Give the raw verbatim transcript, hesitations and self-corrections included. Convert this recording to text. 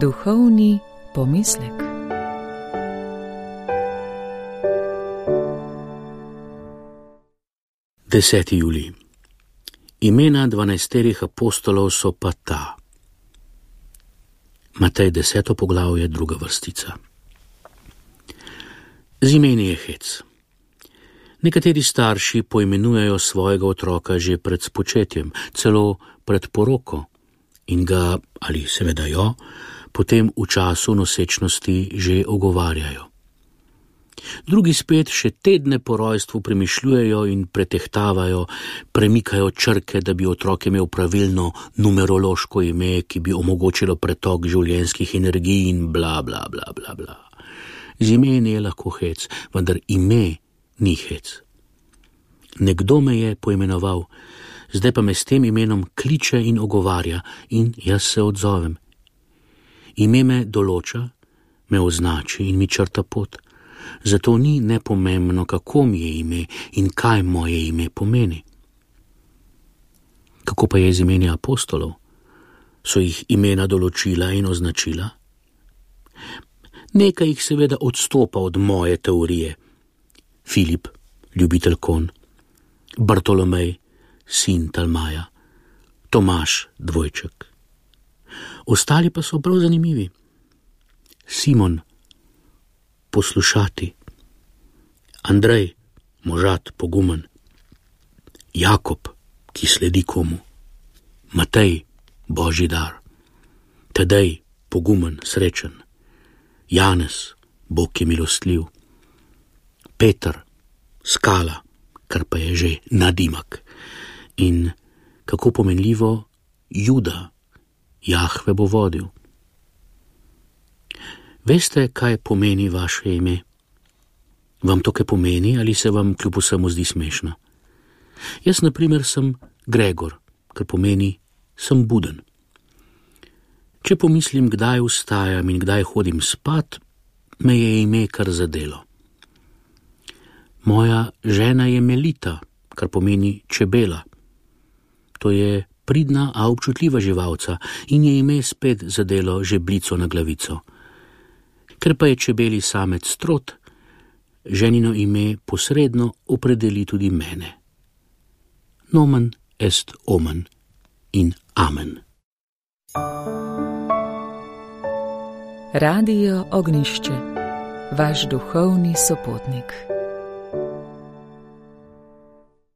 Duhovni pomislek. deseti julij. Imena dvanajsterih apostolov so pa ta. Matej deseto poglavje, druga vrstica. Z imeni je hec. Nekateri starši poimenujejo svojega otroka že pred spočetjem, celo pred poroko, in ga, ali seveda jo, potem v času nosečnosti že ogovarjajo. Drugi spet še tedne po rojstvu premišljujejo in pretehtavajo, premikajo črke, da bi otrok imel pravilno numerološko ime, ki bi omogočilo pretok življenjskih energij in bla, bla, bla, bla, bla. Z imeni je lahko hec, vendar ime ni hec. Nekdo me je poimenoval, zdaj pa me s tem imenom kliče in ogovarja in jaz se odzovem. Ime me določa, me označi in mi črta pot. Zato ni nepomembno, kako mi je ime in kaj moje ime pomeni. Kako pa je z imeni apostolov? So jih imena določila in označila? Nekaj jih seveda odstopa od moje teorije. Filip, ljubitelj konj, Bartolomej, sin Talmaja, Tomaž, dvojček. Ostali pa so prav zanimivi. Simon, poslušati, Andrej, možat, pogumen, Jakob, ki sledi komu, Matej, božji dar, Tadej, pogumen, srečen, Janez, Bog je milostljiv, Peter, skala, kar pa je že nadimak, in kako pomenljivo, Juda, Jahve bo vodil. Veste, kaj pomeni vaše ime? Vam to kaj pomeni ali se vam kljub vsemu zdi smešno? Jaz, na primer, sem Gregor, kar pomeni sem buden. Če pomislim, kdaj vstajam in kdaj hodim spat, me je ime kar zadelo. Moja žena je Melita, kar pomeni čebela. To je pridna, a občutljiva živalca in je ime spet zadelo žeblico na glavico. Ker pa je čebeli samec Strot, ženino ime posredno opredeli tudi mene. Nomen est omen in amen. Radio Ognjišče, vaš duhovni sopotnik.